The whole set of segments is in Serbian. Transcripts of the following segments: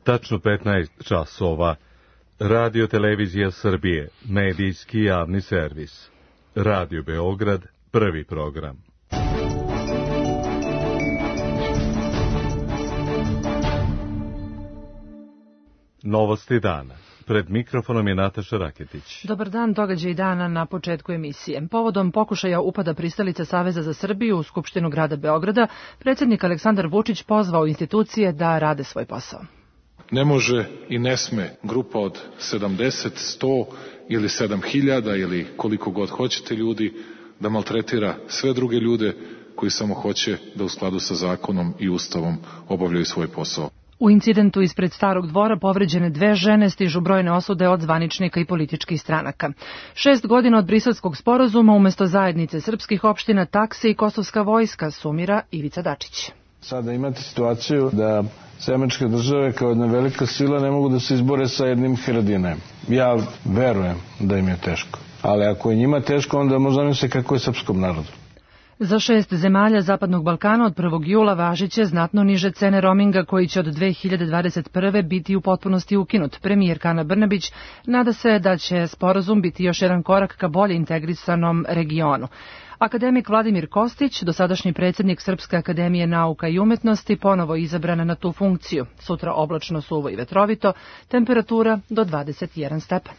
Tačno 15 časova. Radio Televizija Srbije, medijski javni servis. Radio Beograd, prvi program. Novosti dana. Pred mikrofonom je Nataša Raketić. Dobar dan, događaj dana na početku emisije. Povodom pokušaja upada pristalice Saveza za Srbiju u Skupštinu grada Beograda, predsjednik Aleksandar Vučić pozvao institucije da rade svoj posao. Ne može i ne sme grupa od 70, 100 ili 7000 ili koliko god hoćete ljudi da maltretira sve druge ljude koji samo hoće da u skladu sa zakonom i ustavom obavljaju svoj posao. U incidentu ispred Starog dvora povređene 2 žene stižu brojne osude od zvaničnika i političkih stranaka. 6 godina od Briselskog sporazuma umesto zajednice srpskih opština, takse i kosovska vojska, sumira Ivica Dačić. Sada imate situaciju da američke države kao jedna velika sila ne mogu da se izbore sa jednim Haradinajem. Ja verujem da im je teško. Ali ako je njima teško, onda možda misle kako je srpskom narodu. Za 6 zemalja Zapadnog Balkana od 1. jula važiće znatno niže cene roaminga koji će od 2021. biti u potpunosti ukinut. Premijerka Ana Brnabić nada se da će sporazum biti još jedan korak ka bolje integrisanom regionu. Akademik Vladimir Kostić, dosadašnji predsjednik Srpske akademije nauka i umetnosti, ponovo izabran na tu funkciju. Sutra oblačno, suvo i vetrovito, temperatura do 21 stepen.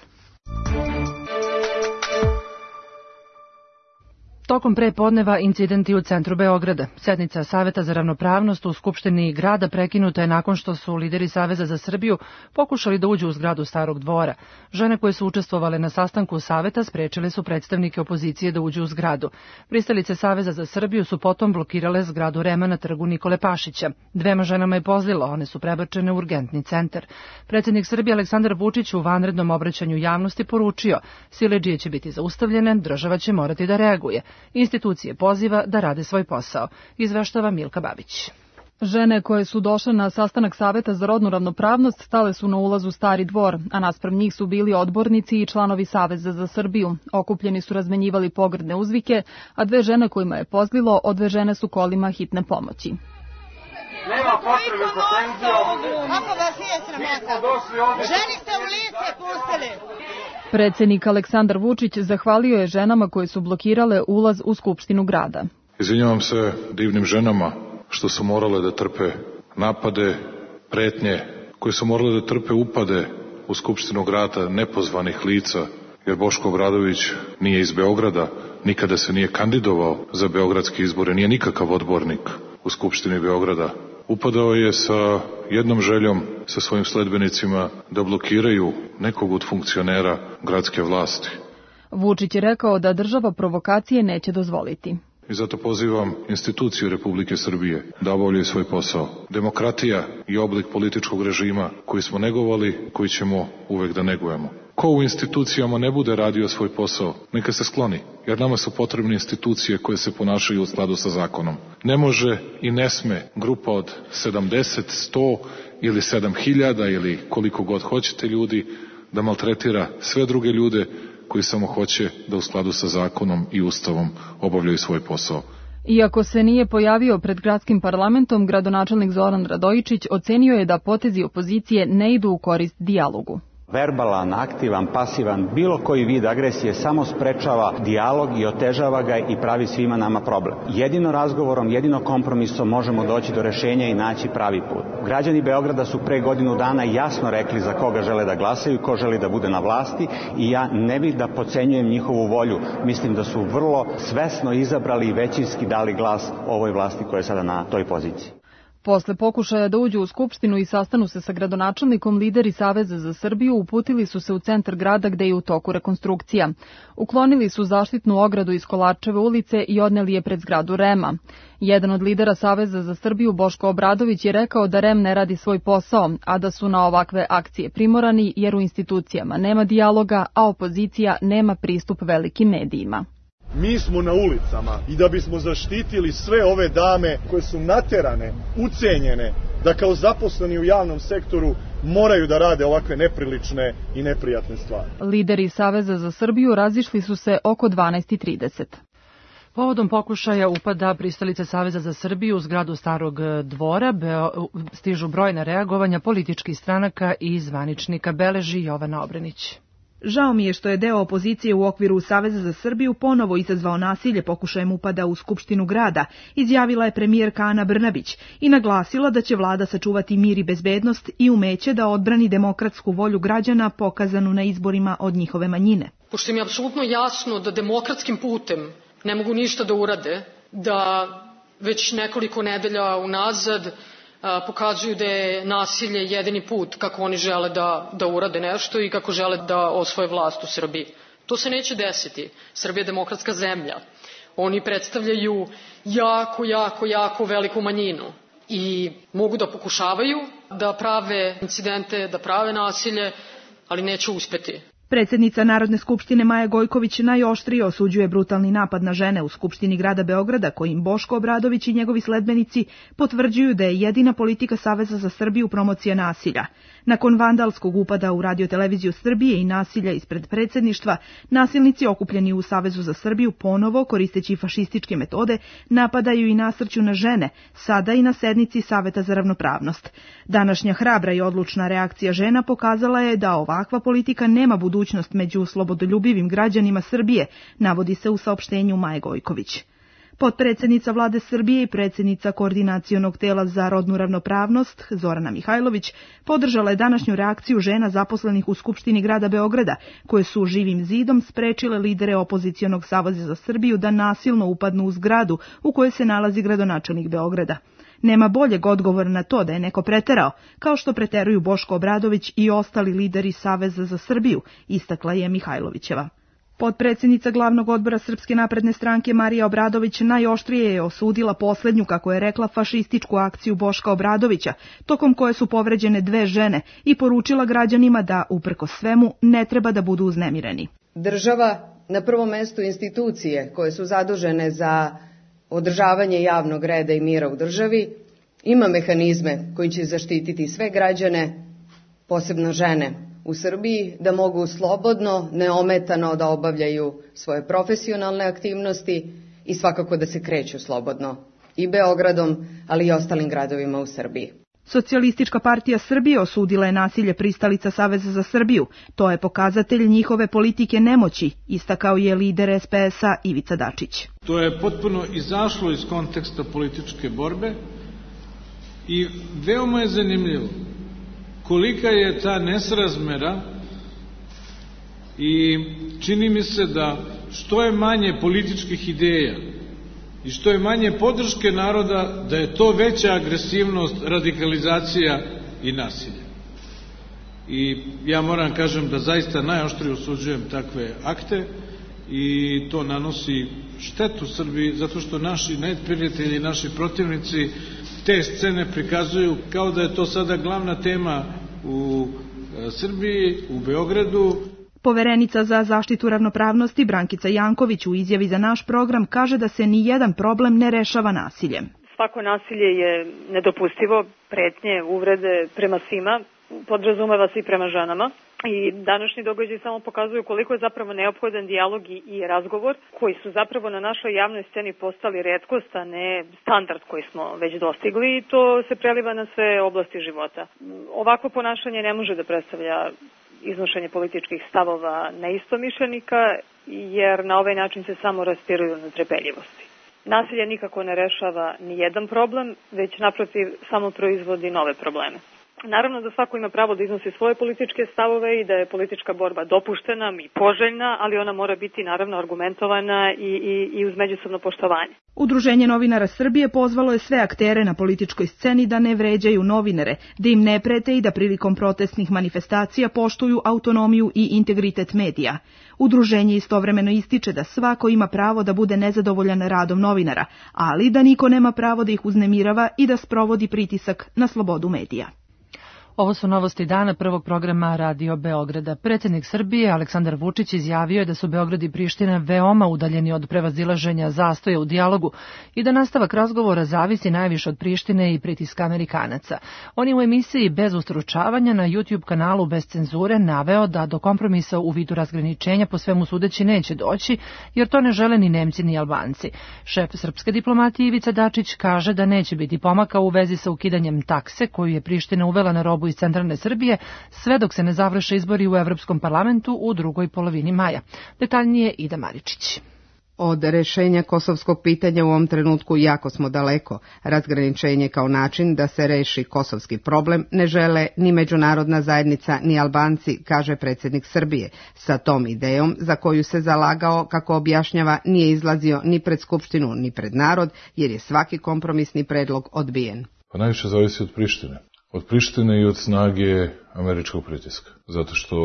Tokom prepodneva incidenti u centru Beograda. Sednica Saveta za ravnopravnost u Skupštini grada prekinuta je nakon što su lideri Saveza za Srbiju pokušali da uđu u zgradu Starog dvora. Žene koje su učestvovale na sastanku Saveta sprečile su predstavnike opozicije da uđu u zgradu. Pristalice Saveza za Srbiju su potom blokirale zgradu REM-a na trgu Nikole Pašića. 2 ženama je pozlilo, one su prebačene u urgentni centar. Predsjednik Srbije Aleksandar Vučić u vanrednom obraćanju javnosti poručio: siledžije će biti zaustavljene, država će morati da reaguje. Institucije poziva da rade svoj posao, izveštava Milka Babić. Žene koje su došle na sastanak Saveta za rodnu ravnopravnost stale su na ulazu Stari dvor, a naspram njih su bili odbornici i članovi Saveza za Srbiju. Okupljeni su razmenjivali pogrdne uzvike, a 2 žene kojima je pozlilo odvežene su kolima hitne pomoći. Nema potrebe za tenzijom. Kako vas nije sramota? Ženi ste u lice pustili. Predsjednik Aleksandar Vučić zahvalio je ženama koje su blokirale ulaz u Skupštinu grada. Izvinjavam se divnim ženama što su morale da trpe napade, pretnje, koje su morale da trpe upade u Skupštinu grada nepozvanih lica, jer Boško Obradović nije iz Beograda, nikada se nije kandidovao za beogradske izbore, nije nikakav odbornik u Skupštini Beograda. Upadao je sa jednom željom, sa svojim sledbenicima, da blokiraju nekog od funkcionera gradske vlasti. Vučić je rekao da država provokacije neće dozvoliti. I zato pozivam instituciju Republike Srbije da obavljaju svoj posao. Demokratija je oblik političkog režima koji smo negovali, koji ćemo uvek da negujemo. Ko u institucijama ne bude radio svoj posao, neka se skloni, jer nama su potrebne institucije koje se ponašaju u skladu sa zakonom. Ne može i ne sme grupa od 70, 100 ili 7000 ili koliko god hoćete ljudi da maltretira sve druge ljude koji samo hoće da u skladu sa zakonom i ustavom obavljaju svoj posao. Iako se nije pojavio pred gradskim parlamentom, gradonačelnik Zoran Radojičić ocenio je da potezi opozicije ne idu u korist dijalogu. Verbalan, aktivan, pasivan, bilo koji vid agresije samo sprečava dijalog i otežava ga i pravi svima nama problem. Jedino razgovorom, jedino kompromisom možemo doći do rešenja i naći pravi put. Građani Beograda su pre godinu dana jasno rekli za koga žele da glasaju, ko želi da bude na vlasti i ja ne bih da podcenjujem njihovu volju. Mislim da su vrlo svesno izabrali i većinski dali glas ovoj vlasti koja je sada na toj poziciji. Posle pokušaja da uđu u Skupštinu i sastanu se sa gradonačelnikom, lideri Saveza za Srbiju uputili su se u centar grada gde je u toku rekonstrukcija. Uklonili su zaštitnu ogradu iz Kolarčeve ulice i odneli je pred zgradu REM-a. Jedan od lidera Saveza za Srbiju, Boško Obradović, je rekao da REM ne radi svoj posao, a da su na ovakve akcije primorani jer u institucijama nema dijaloga, a opozicija nema pristup velikim medijima. Mi smo na ulicama i da bismo zaštitili sve ove dame koje su naterane, ucenjene, da kao zaposleni u javnom sektoru moraju da rade ovakve neprilične i neprijatne stvari. Lideri Saveza za Srbiju razišli su se oko 12:30. Povodom pokušaja upada pristalice Saveza za Srbiju u zgradu Starog dvora stižu brojna reagovanja političkih stranaka i zvaničnika, beleži Jovana Obrenić. Žao mi je što je deo opozicije u okviru Saveza za Srbiju ponovo izazvao nasilje pokušajem upada u Skupštinu grada, izjavila je premijerka Ana Brnabić i naglasila da će vlada sačuvati mir i bezbednost i umeće da odbrani demokratsku volju građana pokazanu na izborima od njihove manjine. Pošto mi je apsolutno jasno da demokratskim putem ne mogu ništa da urade, da već nekoliko nedelja unazad pokazuju da je nasilje jedini put kako oni žele da urade nešto i kako žele da osvoje vlast u Srbiji. To se neće desiti. Srbija je demokratska zemlja. Oni predstavljaju jako veliku manjinu i mogu da pokušavaju da prave incidente, da prave nasilje, ali neće uspeti. Predsjednica Narodne skupštine Maja Gojković najoštrije osuđuje brutalni napad na žene u Skupštini grada Beograda, kojim Boško Obradović i njegovi sledbenici potvrđuju da je jedina politika Saveza za Srbiju promocija nasilja. Nakon vandalskog upada u Radio-televiziju Srbije i nasilja ispred predsjedništva, nasilnici okupljeni u Savezu za Srbiju ponovo, koristeći fašističke metode, napadaju i nasrću na žene, sada i na sednici Saveta za ravnopravnost. Današnja hrabra i odlučna reakcija žena pokazala je da ovakva politika nema budućnost među slobodoljubivim građanima Srbije, navodi se u saopštenju Maje Gojković. Potpredsjednica vlade Srbije i predsjednica Koordinacionog tela za rodnu ravnopravnost, Zorana Mihajlović, podržala je današnju reakciju žena zaposlenih u Skupštini grada Beograda, koje su živim zidom sprečile lidere opozicionog Saveza za Srbiju da nasilno upadnu u zgradu u kojoj se nalazi gradonačelnik Beograda. Nema boljeg odgovora na to da je neko preterao, kao što preteruju Boško Obradović i ostali lideri Saveza za Srbiju, istakla je Mihajlovićeva. Potpredsjednica glavnog odbora Srpske napredne stranke Marija Obradović najoštrije je osudila posljednju, kako je rekla, fašističku akciju Boška Obradovića, tokom koje su povređene 2 žene, i poručila građanima da, uprkos svemu, ne treba da budu uznemireni. Država, na prvom mestu institucije koje su zadužene za održavanje javnog reda i mira u državi, ima mehanizme koji će zaštititi sve građane, posebno žene u Srbiji, da mogu slobodno, neometano da obavljaju svoje profesionalne aktivnosti i svakako da se kreću slobodno i Beogradom, ali i ostalim gradovima u Srbiji. Socijalistička partija Srbije osudila je nasilje pristalica Saveza za Srbiju. To je pokazatelj njihove politike nemoći, istakao je lider SPS-a Ivica Dačić. To je potpuno izašlo iz konteksta političke borbe i veoma je zanimljivo kolika je ta nesrazmera i čini mi se da što je manje političkih ideja i što je manje podrške naroda, da je to veća agresivnost, radikalizacija i nasilje. I ja moram kažem da zaista najoštrije osuđujem takve akte i to nanosi štetu Srbiji, zato što naši neprijatelji, naši protivnici te scene prikazuju kao da je to sada glavna tema u Srbiji, u Beogradu. Poverenica za zaštitu ravnopravnosti Brankica Janković u izjavi za naš program kaže da se ni jedan problem ne rešava nasiljem. Svako nasilje je nedopustivo, pretnje, uvrede prema svima, podrazumeva se i prema ženama. I današnji događaj samo pokazuju koliko je zapravo neophodan dijalog i razgovor, koji su zapravo na našoj javnoj sceni postali retkost, a ne standard koji smo već dostigli, i to se preliva na sve oblasti života. Ovakvo ponašanje ne može da predstavlja iznošenje političkih stavova neistomišljenika, jer na ovaj način se samo raspiruju netrpeljivosti. Nasilje nikako ne rešava ni jedan problem, već naprotiv samo proizvodi nove probleme. Naravno da svako ima pravo da iznosi svoje političke stavove i da je politička borba dopuštena i poželjna, ali ona mora biti naravno argumentovana i uz međusobno poštovanje. Udruženje novinara Srbije pozvalo je sve aktere na političkoj sceni da ne vređaju novinare, da im ne prete i da prilikom protestnih manifestacija poštuju autonomiju i integritet medija. Udruženje istovremeno ističe da svako ima pravo da bude nezadovoljan radom novinara, ali da niko nema pravo da ih uznemirava i da sprovodi pritisak na slobodu medija. Ovo su novosti dana prvog programa Radio Beograda. Predsjednik Srbije Aleksandar Vučić izjavio je da su Beograd i Priština veoma udaljeni od prevazilaženja zastoja u dijalogu i da nastavak razgovora zavisi najviše od Prištine i pritiska Amerikanaca. On je u emisiji Bez ustručavanja na YouTube kanalu Bez cenzure naveo da do kompromisa u vidu razgraničenja po svemu sudeći neće doći, jer to ne žele ni Nemci ni Albanci. Šef srpske diplomatije Ivica Dačić kaže da neće biti pomaka u vezi sa ukidanjem takse koju je Priština uvela na robu iz centralne Srbije, sve dok se ne završe izbori u Evropskom parlamentu u drugoj polovini maja. Detaljnije Ida Maričić. Od rešenja kosovskog pitanja u ovom trenutku jako smo daleko. Razgraničenje kao način da se reši kosovski problem ne žele ni međunarodna zajednica ni Albanci, kaže predsjednik Srbije. Sa tom idejom, za koju se zalagao, kako objašnjava, nije izlazio ni pred Skupštinu ni pred narod, jer je svaki kompromisni predlog odbijen. Pa najviše zavisi od Prištine. Od Prištine i od snage američkog pritiska. Zato što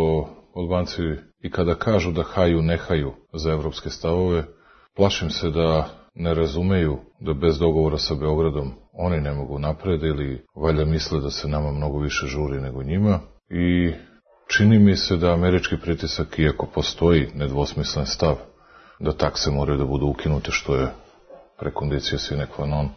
Albanci i kada kažu da haju, ne haju za evropske stavove, plašim se da ne razumeju da bez dogovora sa Beogradom oni ne mogu napred ili valjda misle da se nama mnogo više žuri nego njima. I čini mi se da američki pritisak, iako postoji nedvosmislen stav da takse moraju da budu ukinute, što je prekondicija sine qua non,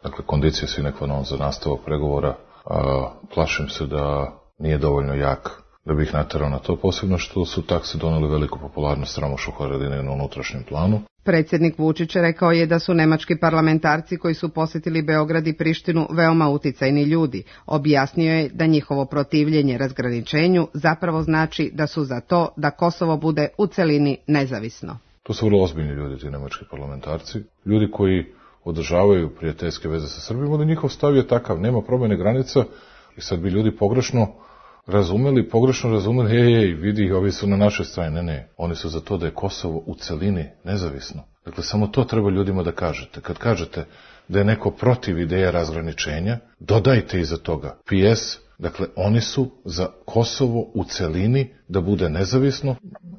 dakle kondicija sine qua non za nastavak pregovora, a plašim se da nije dovoljno jak da bi ih naterao na to, posebno što su takse doneli veliku popularnost Ramošu Haradine na unutrašnjem planu. Predsjednik Vučić rekao je da su nemački parlamentarci koji su posjetili Beograd i Prištinu veoma uticajni ljudi. Objasnio je da njihovo protivljenje razgraničenju zapravo znači da su za to da Kosovo bude u celini nezavisno. To su vrlo ozbiljni ljudi, ti nemački parlamentarci, ljudi koji održavaju prijateljske veze sa Srbijom, da njihov stav je takav, nema promjene granica i sad bi ljudi pogrešno razumeli, vidi, ovi su na našoj strani. Ne, oni su za to da je Kosovo u celini nezavisno. Dakle, samo to treba ljudima da kažete. Kad kažete da je neko protiv ideja razgraničenja, dodajte iza toga PS, dakle, oni su za Kosovo u celini da bude nezavisno,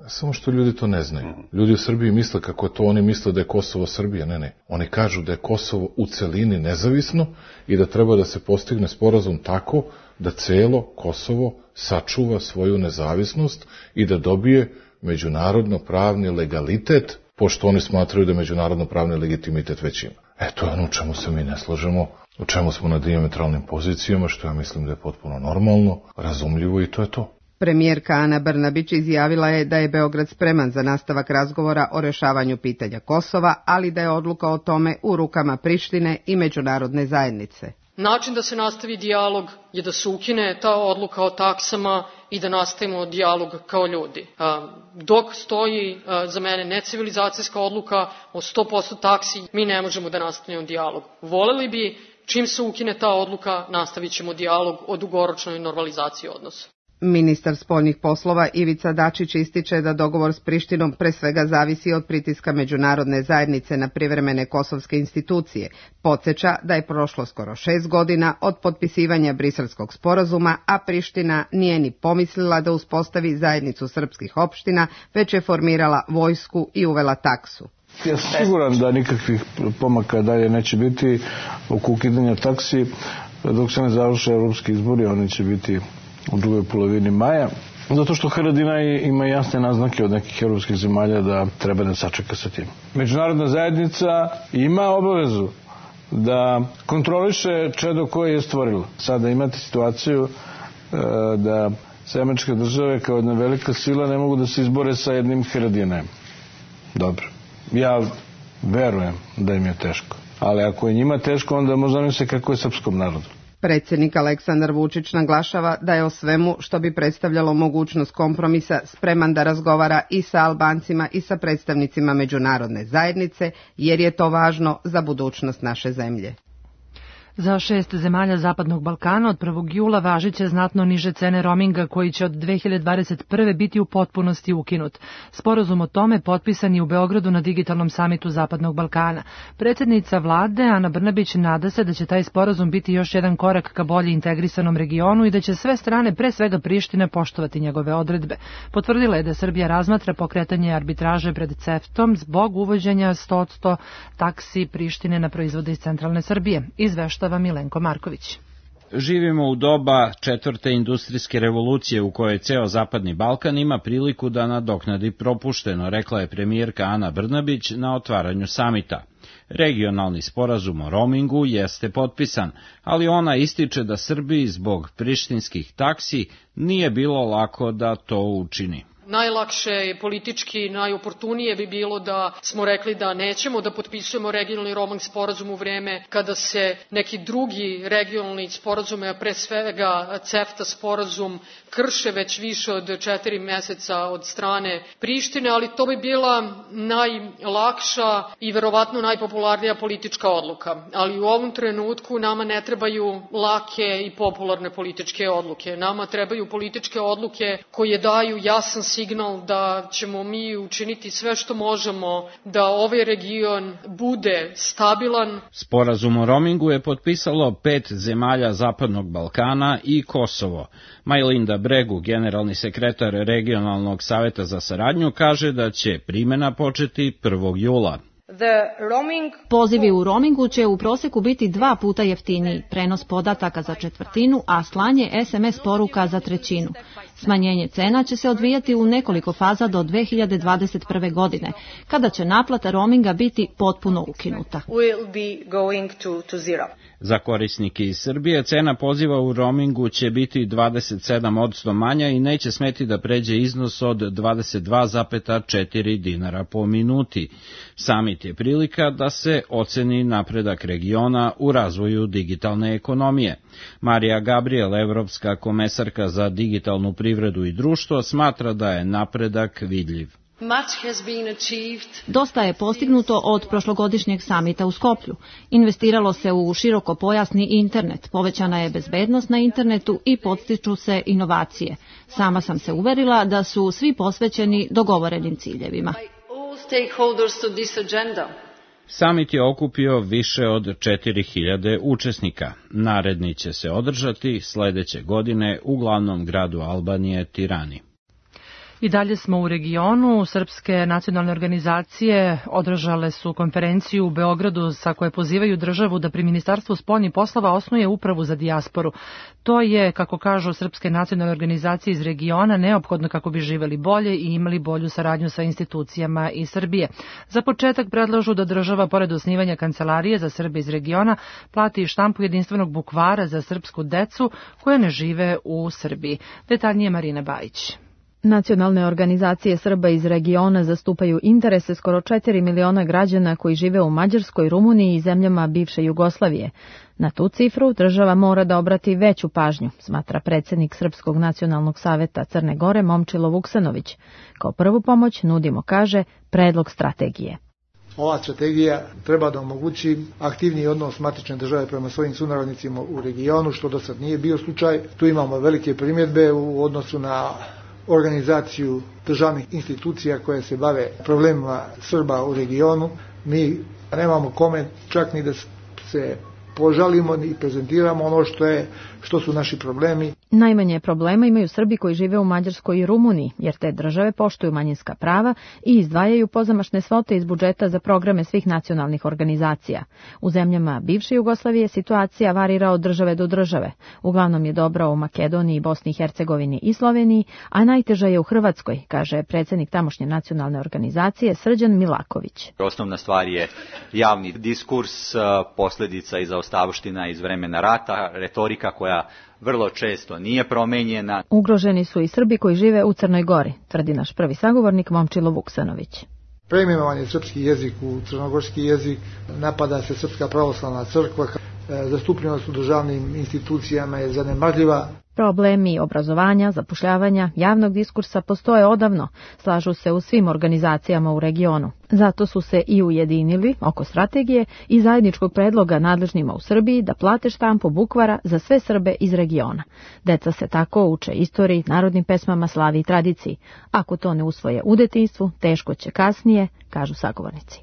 samo što ljudi to ne znaju. Ljudi u Srbiji misle kako je to, oni misle da je Kosovo Srbija, ne. Oni kažu da je Kosovo u celini nezavisno i da treba da se postigne sporazum tako da celo Kosovo sačuva svoju nezavisnost i da dobije međunarodno-pravni legalitet, pošto oni smatraju da međunarodno-pravni legitimitet već ima. To je ono u čemu se mi ne slažemo, u čemu smo na dijametralnim pozicijama, što ja mislim da je potpuno normalno, razumljivo i to je to. Premijerka Ana Brnabić izjavila je da je Beograd spreman za nastavak razgovora o rešavanju pitanja Kosova, ali da je odluka o tome u rukama Prištine i međunarodne zajednice. Način da se nastavi dijalog je da se ukine ta odluka o taksama i da nastavimo dijalog kao ljudi. Dok stoji za mene necivilizacijska odluka o 100% taksi, mi ne možemo da nastavimo dijalog. Voleli bi, čim se ukine ta odluka, nastavit ćemo dijalog o dugoročnoj normalizaciji odnosa. Ministar spoljnih poslova Ivica Dačić ističe da dogovor s Prištinom pre svega zavisi od pritiska međunarodne zajednice na privremene kosovske institucije. Podsjeća da je prošlo skoro 6 godina od potpisivanja Briselskog sporazuma, a Priština nije ni pomislila da uspostavi zajednicu srpskih opština, već je formirala vojsku i uvela taksu. Ja sam siguran da nikakvih pomaka dalje neće biti oko ukidanja taksi dok se ne završe evropski izbori, oni će biti u drugoj polovini maja, zato što Haradina ima jasne naznake od nekih evropskih zemalja da treba da sačeka sa tim. Međunarodna zajednica ima obavezu da kontroliše čedo koje je stvorila. Sada imate situaciju da američke države kao jedna velika sila ne mogu da se izbore sa jednim Haradinajem. Dobro. Ja verujem da im je teško. Ali ako je njima teško, onda možda mi se kako je srpskom narodu. Predsjednik Aleksandar Vučić naglašava da je o svemu što bi predstavljalo mogućnost kompromisa spreman da razgovara i sa Albancima i sa predstavnicima međunarodne zajednice, jer je to važno za budućnost naše zemlje. Za 6 zemalja Zapadnog Balkana od 1. jula važiće znatno niže cene roaminga koji će od 2021. biti u potpunosti ukinut. Sporazum o tome potpisan je u Beogradu na digitalnom samitu Zapadnog Balkana. Predsjednica vlade Ana Brnabić nada se da će taj sporazum biti još jedan korak ka bolje integrisanom regionu i da će sve strane, pre svega Prištine, poštovati njegove odredbe. Potvrdila je da Srbija razmatra pokretanje arbitraže pred CEFTA-om zbog uvođenja 100% taksi Prištine na proizvode iz centralne Srbije. Izveštava Milenko Marković. Živimo u doba 4. industrijske revolucije u kojoj ceo Zapadni Balkan ima priliku da nadoknadi propušteno, rekla je premijerka Ana Brnabić na otvaranju samita. Regionalni sporazum o roamingu jeste potpisan, ali ona ističe da Srbiji zbog prištinskih taksi nije bilo lako da to učini. Najlakše i politički najoportunije bi bilo da smo rekli da nećemo da potpisujemo regionalni roaming sporazum u vreme kada se neki drugi regionalni sporazume, a pre svega CEFTA sporazum, krše već više od 4 meseca od strane Prištine, ali to bi bila najlakša i verovatno najpopularnija politička odluka. Ali u ovom trenutku nama ne trebaju lake i popularne političke odluke. Nama trebaju političke odluke koje daju jasan signal da ćemo mi učiniti sve što možemo da ovaj region bude stabilan. Sporazum o roamingu je potpisalo 5 zemalja Zapadnog Balkana i Kosovo. Majlinda Bregu, generalni sekretar Regionalnog saveta za saradnju, kaže da će primjena početi 1. jula. Pozivi u roamingu će u proseku biti 2 puta jeftiniji, prenos podataka za 1/4, a slanje SMS poruka za 1/3. Smanjenje cena će se odvijati u nekoliko faza do 2021. godine, kada će naplata roaminga biti potpuno ukinuta. Za korisnike iz Srbije cena poziva u roamingu će biti 27% manja i neće smeti da pređe iznos od 22,4 dinara po minuti. Samit je prilika da se oceni napredak regiona u razvoju digitalne ekonomije. Marija Gabriel, evropska komesarka za digitalnu privredu i društvo, smatra da je napredak vidljiv. Dosta je postignuto od prošlogodišnjeg samita u Skoplju. Investiralo se u širokopojasni internet, povećana je bezbednost na internetu i podstiču se inovacije. Sama sam se uverila da su svi posvećeni dogovorenim ciljevima. Samit je okupio više od 4000 učesnika. Naredni će se održati sledeće godine u glavnom gradu Albanije, Tirani. I dalje smo u regionu. Srpske nacionalne organizacije održale su konferenciju u Beogradu sa koje pozivaju državu da pri Ministarstvu spoljnih poslova osnuje upravu za dijasporu. To je, kako kažu srpske nacionalne organizacije iz regiona, neophodno kako bi živeli bolje i imali bolju saradnju sa institucijama iz Srbije. Za početak predlažu da država, pored osnivanja kancelarije za Srbe iz regiona, plati štampu jedinstvenog bukvara za srpsku decu koja ne žive u Srbiji. Detaljnije Marina Bajić. Nacionalne organizacije Srba iz regiona zastupaju interese skoro 4 miliona građana koji žive u Mađarskoj, Rumuniji i zemljama bivše Jugoslavije. Na tu cifru država mora da obrati veću pažnju, smatra predsjednik Srpskog nacionalnog saveta Crne Gore Momčilo Vuksanović. Kao prvu pomoć nudimo, kaže, predlog strategije. Ova strategija treba da omogući aktivniji odnos matične države prema svojim sunarodnicima u regionu, što do sad nije bio slučaj. Tu imamo velike primjedbe u odnosu na organizaciju državnih institucija koje se bave problemima Srba u regionu. Mi nemamo kome čak ni da se požalimo i prezentiramo ono što su naši problemi. Najmanje problema imaju Srbi koji žive u Mađarskoj i Rumuniji, jer te države poštuju manjinska prava i izdvajaju pozamašne svote iz budžeta za programe svih nacionalnih organizacija. U zemljama bivše Jugoslavije situacija varira od države do države. Uglavnom je dobra u Makedoniji, Bosni i Hercegovini i Sloveniji, a najteža je u Hrvatskoj, kaže predsjednik tamošnje nacionalne organizacije Srđan Milaković. Osnovna stvar je javni diskurs, posljedica i zaostavština iz vremena rata, retorika koja vrlo često nije promenjena. Ugroženi su i Srbi koji žive u Crnoj Gori, tvrdi naš prvi sagovornik Momčilo Vuksanović. Preimenovan je srpski jezik u crnogorski jezik, napada se Srpska pravoslavna crkva, zastupljenost u državnim institucijama je zanemarljiva. Problemi obrazovanja, zapošljavanja, javnog diskursa postoje odavno, slažu se u svim organizacijama u regionu. Zato su se i ujedinili oko strategije i zajedničkog predloga nadležnima u Srbiji da plate štampu bukvara za sve Srbe iz regiona. Deca se tako uče istoriji, narodnim pesmama, slavi i tradiciji. Ako to ne usvoje u detinjstvu, teško će kasnije, kažu sagovornici.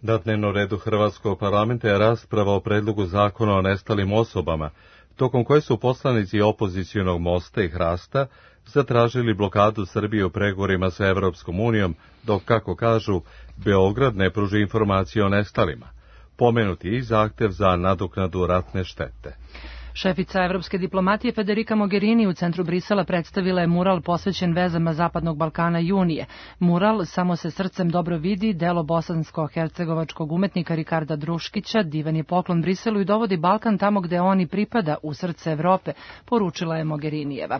Na dnevnom redu Hrvatskog parlamenta je rasprava o predlogu zakona o nestalim osobama, tokom koje su poslanici opozicionog Mosta i Hrasta zatražili blokadu Srbije u pregovorima sa Evropskom unijom, dok, kako kažu, Beograd ne pruži informacije o nestalima. Pomenuti i zahtev za nadoknadu ratne štete. Šefica evropske diplomatije Federica Mogherini u centru Brisela predstavila je mural posvećen vezama Zapadnog Balkana i Unije. Mural Samo se srcem dobro vidi, delo bosansko-hercegovačkog umetnika Rikarda Druškića, divan je poklon Briselu i dovodi Balkan tamo gde on i pripada, u srce Evrope, poručila je Mogherinijeva.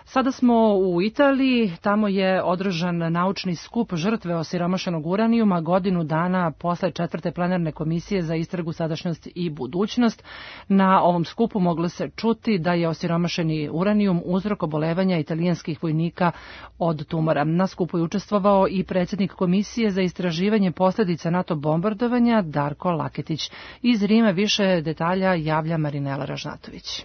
Sada smo u Italiji, tamo je održan naučni skup žrtve osiromašenog uranijuma godinu dana posle 4. plenarne komisije za istragu, sadašnjost i budućnost. Na ovom skupu moglo se čuti da je osiromašeni uranijum uzrok obolevanja italijanskih vojnika od tumora. Na skupu je učestvovao i predsjednik komisije za istraživanje posljedica NATO bombardovanja Darko Laketić. Iz Rima više detalja javlja Marinela Ražnatović.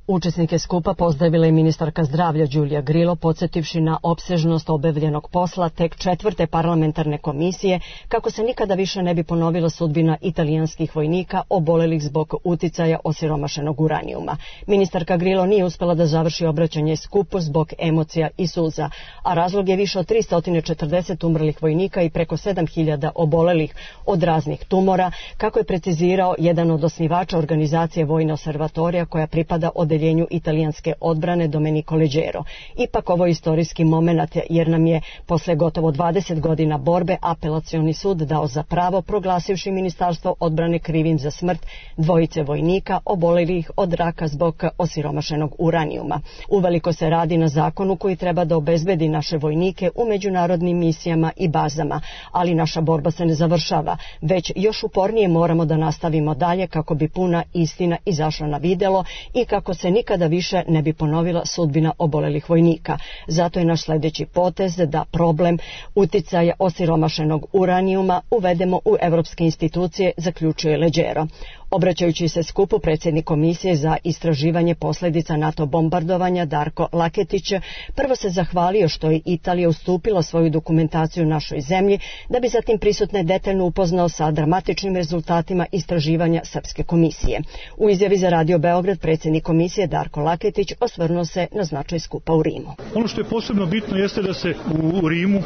Učesnike skupa pozdravila je ministarka zdravlja Đulija Grilo, podsjetivši na opsežnost obavljenog posla tek 4. parlamentarne komisije, kako se nikada više ne bi ponovila sudbina italijanskih vojnika obolelih zbog uticaja osiromašenog uranijuma. Ministarka Grilo nije uspela da završi obraćanje skupu zbog emocija i suza, a razlog je više od 340 umrlih vojnika i preko 7.000 obolelih od raznih tumora, kako je precizirao jedan od osnivača organizacije Vojne observatorija koja pripada odeljenju italijanske odbrane Domenico Leggero. Ipak ovo je istorijski moment jer nam je posle gotovo 20 godina borbe apelacioni sud dao za pravo, proglasivši Ministarstvo odbrane krivim za smrt dvojice vojnika obolelih od raka zbog osiromašenog uranijuma. Uveliko se radi na zakonu koji treba da obezbedi naše vojnike u međunarodnim misijama i bazama, ali naša borba se ne završava, već još upornije moramo da nastavimo dalje kako bi puna istina izašla na videlo i kako se nikada više ne bi ponovila sudbina obolelih vojnika. Zato je naš sljedeći potez da problem uticaja osiromašenog uranijuma uvedemo u evropske institucije, zaključuje Leggero. Obraćajući se skupu, predsjednik komisije za istraživanje posljedica NATO bombardovanja Darko Laketić prvo se zahvalio što je Italija ustupila svoju dokumentaciju našoj zemlji, da bi zatim prisutne detaljno upoznao sa dramatičnim rezultatima istraživanja Srpske komisije. U izjavi za Radio Beograd predsjednik komisije Darko Laketić osvrnuo se na značaj skupa u Rimu. Ono što je posebno bitno jeste da se u Rimu,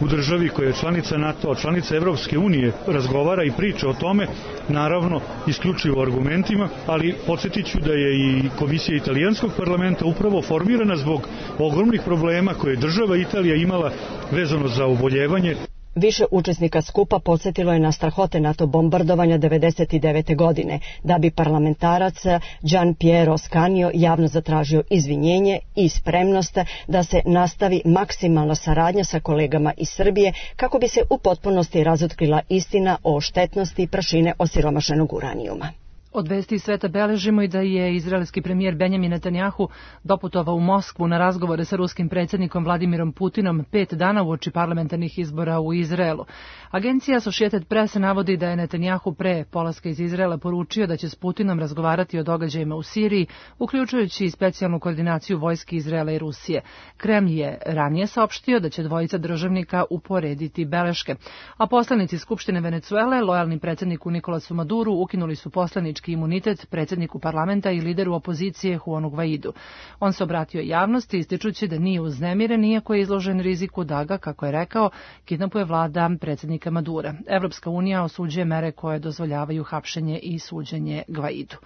u državi koja je članica NATO, članica Evropske unije, razgovara i priča o tome, naravno isključivo argumentima, ali podsjetit ću da je i komisija italijanskog parlamenta upravo formirana zbog ogromnih problema koje je država Italija imala vezano za oboljevanje. Više učesnika skupa podsjetilo je na strahote NATO bombardovanja 1999. godine, da bi parlamentarac Gian Piero Scanio javno zatražio izvinjenje i spremnost da se nastavi maksimalna saradnja sa kolegama iz Srbije kako bi se u potpunosti razotkrila istina o štetnosti prašine osiromašenog uranijuma. Od vesti iz sveta beležimo i da je izraelski premijer Benjamin Netanjahu doputovao u Moskvu na razgovore sa ruskim predsjednikom Vladimirom Putinom 5 dana uoči parlamentarnih izbora u Izraelu. Agencija Associated Press navodi da je Netanjahu pre polaska iz Izraela poručio da će s Putinom razgovarati o događajima u Siriji, uključujući i specijalnu koordinaciju vojske Izraela i Rusije. Kremlj je ranije saopštio da će dvojica državnika uporediti beleške. A poslanici Skupštine Venecuele, lojalni predsjedniku Nikolasu Maduru, ukinuli su poslanički imunitet predsjedniku parlamenta i lideru opozicije Juanu Guaidu. On se obratio javnosti ističući da nije uznemiren, iako je izložen riziku da ga, kako je rekao, kidnapuje vlada predsjednika Madura. Evropska unija osuđuje mere koje dozvoljavaju hapšenje i suđenje Guaidu.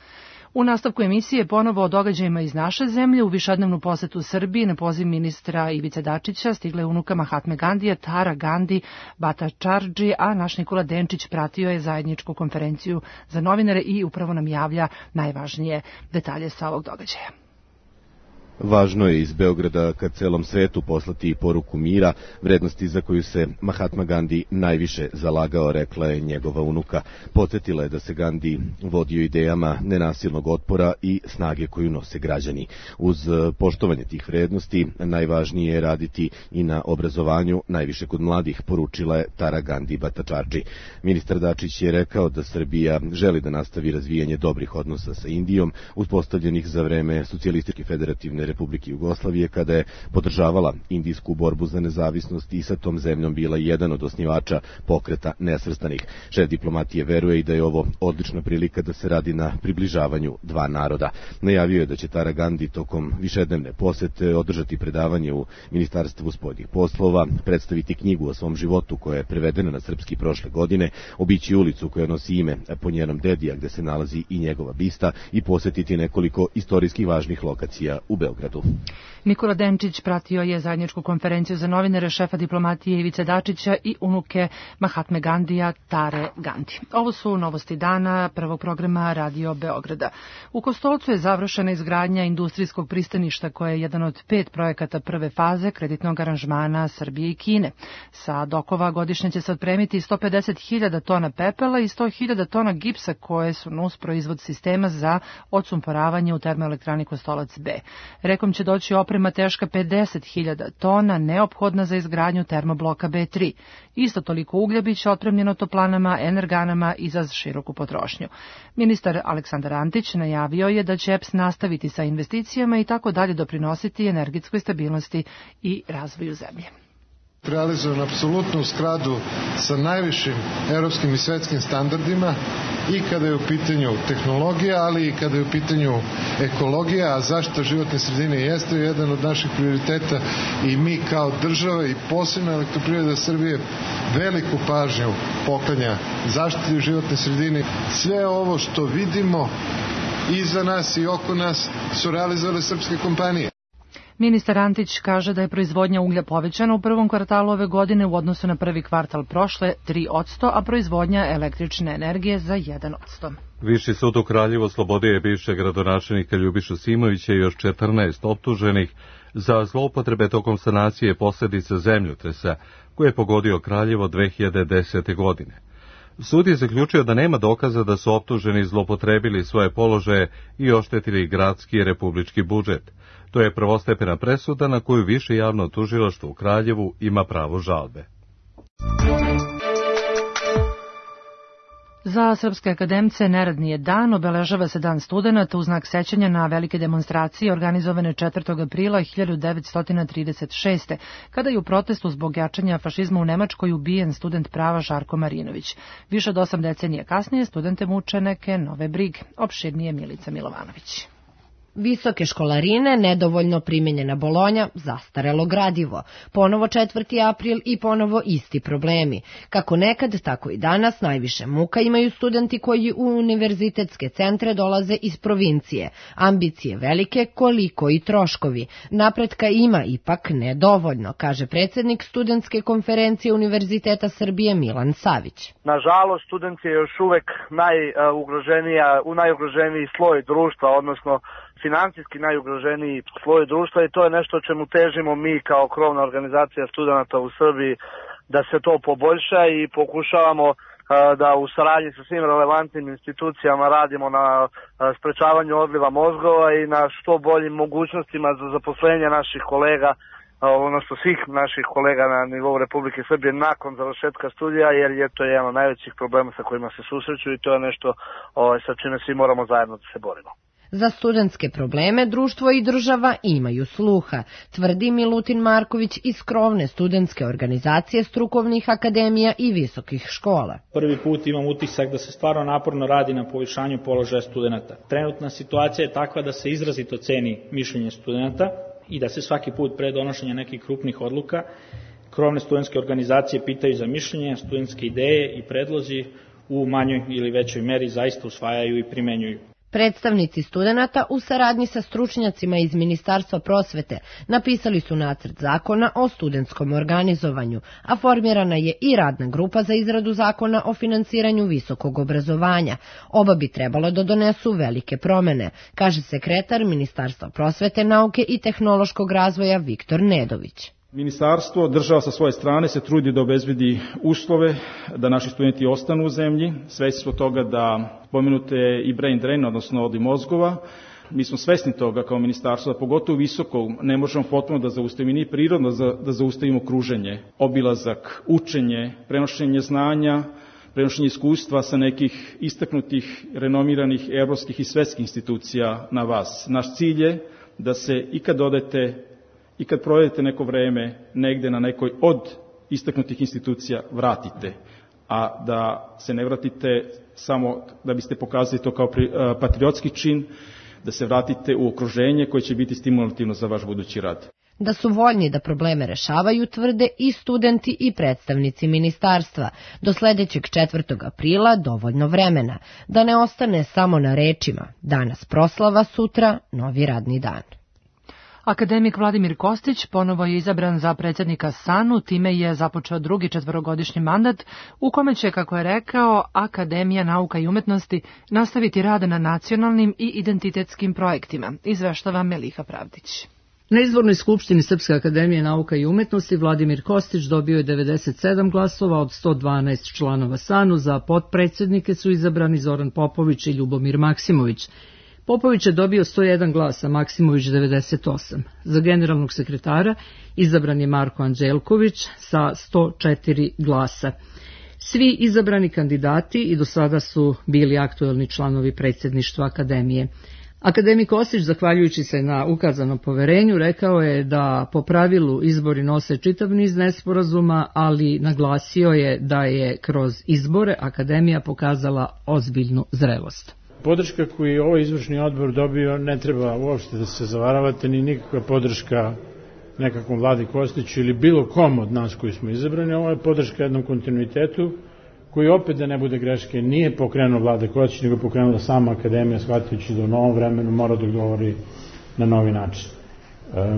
U nastavku emisije ponovo o događajima iz naše zemlje. U višednevnu posetu Srbiji na poziv ministra Ivice Dačića stigle unuka Mahatme Gandija, Tara Gandhi Bhattacharjee, a naš Nikola Denčić pratio je zajedničku konferenciju za novinare i upravo nam javlja najvažnije detalje sa ovog događaja. Važno je iz Beograda ka celom svetu poslati poruku mira, vrednosti za koju se Mahatma Gandhi najviše zalagao, rekla je njegova unuka. Podsjetila je da se Gandhi vodio idejama nenasilnog otpora i snage koju nose građani. Uz poštovanje tih vrednosti najvažnije je raditi i na obrazovanju, najviše kod mladih, poručila je Tara Gandhi Bhattacharjee. Ministar Dačić je rekao da Srbija želi da nastavi razvijanje dobrih odnosa sa Indijom, uspostavljenih za vreme Socijalističke federativne Republike Jugoslavije kada je podržavala indijsku borbu za nezavisnost i sa tom zemljom bila jedan od osnivača Pokreta nesvrstanih. Šef diplomatije veruje i da je ovo odlična prilika da se radi na približavanju dva naroda. Najavio je da će Tara Gandhi tokom višednevne posete održati predavanje u Ministarstvu spoljnih poslova, predstaviti knjigu o svom životu koja je prevedena na srpski prošle godine, obići ulicu koja nosi ime po njenom dedi, gde se nalazi i njegova bista, i posetiti nekoliko istorijskih važnih lokacija u Beogradu. Nikola Denčić pratio je zajedničku konferenciju za novinare šefa diplomatije Ivice Dačića i unuke Mahatme Gandija, Tare Gandhi. Ovo su novosti dana prvog programa Radio Beograda. U Kostolcu je završena izgradnja industrijskog pristaništa koje je jedan od 5 projekata prve faze kreditnog aranžmana Srbije i Kine. Sa dokova godišnje će se otpremiti 150.000 tona pepela i 100.000 tona gipsa koje su nus proizvod sistema za odsumporavanje u termoelektrani Kostolac B. Rekom će doći oprema teška 50.000 tona neophodna za izgradnju termobloka B3. Isto toliko uglja biće otpremljeno toplanama, energanama i za široku potrošnju. Ministar Aleksandar Antić najavio je da će EPS nastaviti sa investicijama i tako dalje doprinositi energetskoj stabilnosti i razvoju zemlje. Realizovan apsolutno u skladu sa najvišim evropskim i svetskim standardima i kada je u pitanju tehnologija, ali i kada je u pitanju ekologija, a zaštita životne sredine jeste jedan od naših prioriteta i mi kao država i posebno Elektroprivreda Srbije veliku pažnju poklanja zaštiti životne sredine. Sve ovo što vidimo iza nas i oko nas su realizovale srpske kompanije. Ministar Antić kaže da je proizvodnja uglja povećana u prvom kvartalu ove godine u odnosu na prvi kvartal prošle 3%, a proizvodnja električne energije za 1%. Viši sud u Kraljevu oslobodio je bivšeg gradonačelnika Ljubišu Simovića i još 14 optuženih za zloupotrebe tokom sanacije posljedica zemljotresa koje je pogodio Kraljevo 2010. godine. Sud je zaključio da nema dokaza da su optuženi zloupotrebili svoje položaje i oštetili gradski i republički budžet. To je prvostepena presuda na koju više javno tužilaštvo u Kraljevu ima pravo žalbe. Za srpske akademce neradni je dan, obeležava se Dan studenata u znak sećanja na velike demonstracije organizovane 4. aprila 1936. kada je u protestu zbog jačanja fašizma u Nemačkoj ubijen student prava Žarko Marinović. Više od 8 decenija kasnije studente muče neke nove brige. Opširnije Milica Milovanović. Visoke školarine, nedovoljno primenjena Bolonja, zastarelo gradivo. Ponovo 4. april i ponovo isti problemi. Kako nekad, tako i danas najviše muka imaju studenti koji u univerzitetske centre dolaze iz provincije. Ambicije velike, koliko i troškovi. Napretka ima, ipak nedovoljno, kaže predsjednik studentske konferencije Univerziteta Srbije Milan Savić. Nažalost, student je još uvek najugroženiji sloj društva, odnosno financijski najugroženiji sloj društva i to je nešto o čemu težimo mi kao krovna organizacija studenata u Srbiji da se to poboljša i pokušavamo da u saradnji sa svim relevantnim institucijama radimo na sprečavanju odliva mozgova i na što boljim mogućnostima za zaposlenje naših kolega, odnosno svih naših kolega na nivou Republike Srbije nakon završetka studija, jer je to jedan od najvećih problema sa kojima se susreću i to je nešto sa čime svi moramo zajedno da se borimo. Za studentske probleme društvo i država imaju sluha, tvrdi Milutin Marković iz krovne studentske organizacije strukovnih akademija i visokih škola. Prvi put imam utisak da se stvarno naporno radi na povišanju položaja studenta. Trenutna situacija je takva da se izrazito ceni mišljenje studenta i da se svaki put pre donošenja nekih krupnih odluka krovne studentske organizacije pitaju za mišljenje, studentske ideje i predlozi u manjoj ili većoj meri zaista usvajaju i primenjuju. Predstavnici studenata u saradnji sa stručnjacima iz Ministarstva prosvete napisali su nacrt zakona o studentskom organizovanju, a formirana je i radna grupa za izradu zakona o finansiranju visokog obrazovanja. Oba bi trebalo da donesu velike promene, kaže sekretar Ministarstva prosvete, nauke i tehnološkog razvoja Viktor Nedović. Ministarstvo, država sa svoje strane se trudi da obezbedi uslove da naši studenti ostanu u zemlji. Svesni smo toga da pomenute i brain drain, odnosno odliv mozgova. Mi smo svesni toga kao ministarstvo da pogotovo visoko ne možemo potpuno da zaustavimo ni prirodno da zaustavimo kruženje, obilazak, učenje, prenošenje znanja, prenošenje iskustva sa nekih istaknutih, renomiranih evropskih i svetskih institucija na vas. Naš cilj je da se i kad provedete neko vreme negde na nekoj od istaknutih institucija vratite, a da se ne vratite samo da biste pokazali to kao patriotski čin, da se vratite u okruženje koje će biti stimulativno za vaš budući rad. Da su voljni da probleme rešavaju, tvrde i studenti i predstavnici ministarstva. Do sledećeg 4. aprila dovoljno vremena, da ne ostane samo na rečima. Danas proslava, sutra novi radni dan. Akademik Vladimir Kostić ponovo je izabran za predsjednika SANU, time je započeo drugi 4-godišnji mandat u kome će, kako je rekao, Akademija nauka i umetnosti nastaviti rad na nacionalnim i identitetskim projektima, izveštava Meliha Pravdić. Na izbornoj skupštini Srpske akademije nauka i umetnosti Vladimir Kostić dobio je 97 glasova od 112 članova SANU, za potpredsjednike su izabrani Zoran Popović i Ljubomir Maksimović. Popović je dobio 101 glas, a Maksimović 98. Za generalnog sekretara izabran je Marko Anđelković sa 104 glasa. Svi izabrani kandidati i do sada su bili aktuelni članovi predsjedništva akademije. Akademik Kostić, zahvaljujući se na ukazanom poverenju, rekao je da po pravilu izbori nose čitav niz nesporazuma, ali naglasio je da je kroz izbore akademija pokazala ozbiljnu zrelost. Podrška koju je ovaj izvršni odbor dobio ne treba uopšte da se zavaravate, ni nikakva podrška nekakvom Vladi Kostiću ili bilo kom od nas koji smo izabrani. Ovo je podrška jednom kontinuitetu koji opet, da ne bude greške, nije pokrenuo Vlade Kostić, nego pokrenula sama akademija, shvatajući da u novom vremenu mora da odgovori na novi način.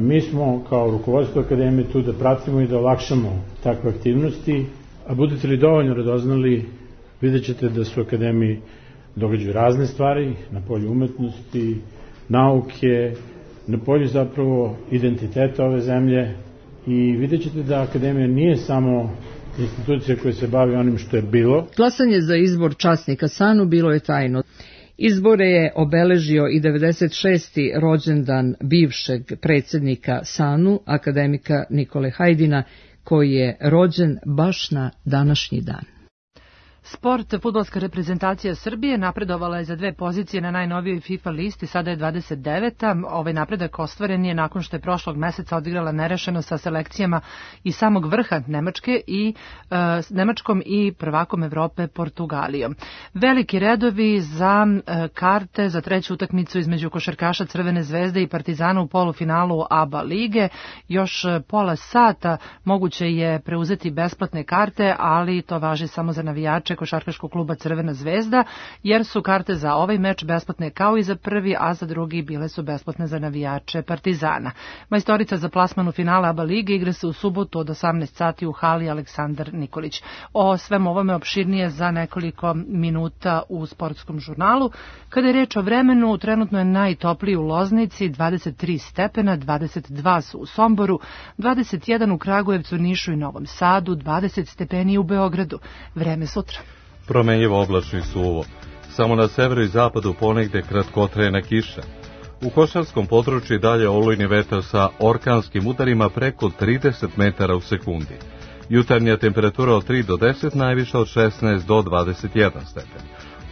Mi smo kao rukovodstvo akademije tu da pratimo i da olakšamo takve aktivnosti, a budete li dovoljno radoznali, vidjet ćete da su akademiji događaju razne stvari na polju umetnosti, nauke, na polju zapravo identiteta ove zemlje i vidjet ćete da akademija nije samo institucija koja se bavi onim što je bilo. Glasanje za izbor časnika SANU bilo je tajno. Izbore je obeležio i 96. rođendan bivšeg predsjednika SANU, akademika Nikole Hajdina, koji je rođen baš na današnji dan. Sport, fudbalska reprezentacija Srbije napredovala je za 2 pozicije na najnovijoj FIFA listi, sada je 29. Ovaj napredak ostvaren je nakon što je prošlog meseca odigrala nerešeno sa selekcijama i samog vrha Nemačkom i prvakom Evrope Portugalijom. Veliki redovi za karte za treću utakmicu između košarkaša Crvene zvezde i Partizana u polufinalu ABA lige. Još pola sata moguće je preuzeti besplatne karte, ali to važi samo za navijače košarkaškog kluba Crvena zvezda, jer su karte za ovaj meč besplatne kao i za prvi, a za drugi bile su besplatne za navijače Partizana. Majstorica za plasman u finale ABA lige igra se u subotu od 18 sati u hali Aleksandar Nikolić. O svemu ovome opširnije za nekoliko minuta u sportskom žurnalu. Kada je reč o vremenu, trenutno je najtopliji u Loznici, 23 stepena, 22 su u Somboru, 21 u Kragujevcu, Nišu i Novom Sadu, 20 stepeni u Beogradu. Vreme sutra. Promenjivo, oblačno i suvo. Samo na severu i zapadu ponegde kratkotrajna kiša. U košarskom području dalje olujni vetar sa orkanskim udarima preko 30 metara u sekundi. Jutarnja temperatura od 3 do 10, najviša od 16 do 21 stepen.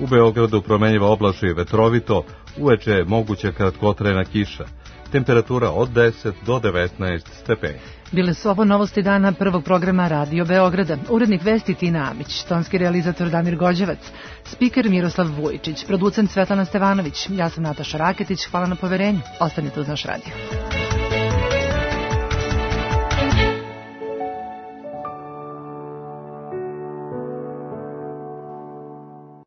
U Beogradu promenjivo, oblačno i vetrovito, uveče je moguća kratkotrajna kiša. Temperatura od 10 do 19 stepeni. Bile su ovo novosti dana prvog programa Radio Beograda. Urednik vesti Tina Amić, tonski realizator Damir Gođevac, spiker Miroslav Vujičić, producent Svetlana Stevanović. Ja sam Nataša Raketić, hvala na poverenju. Ostanite uz naš radio.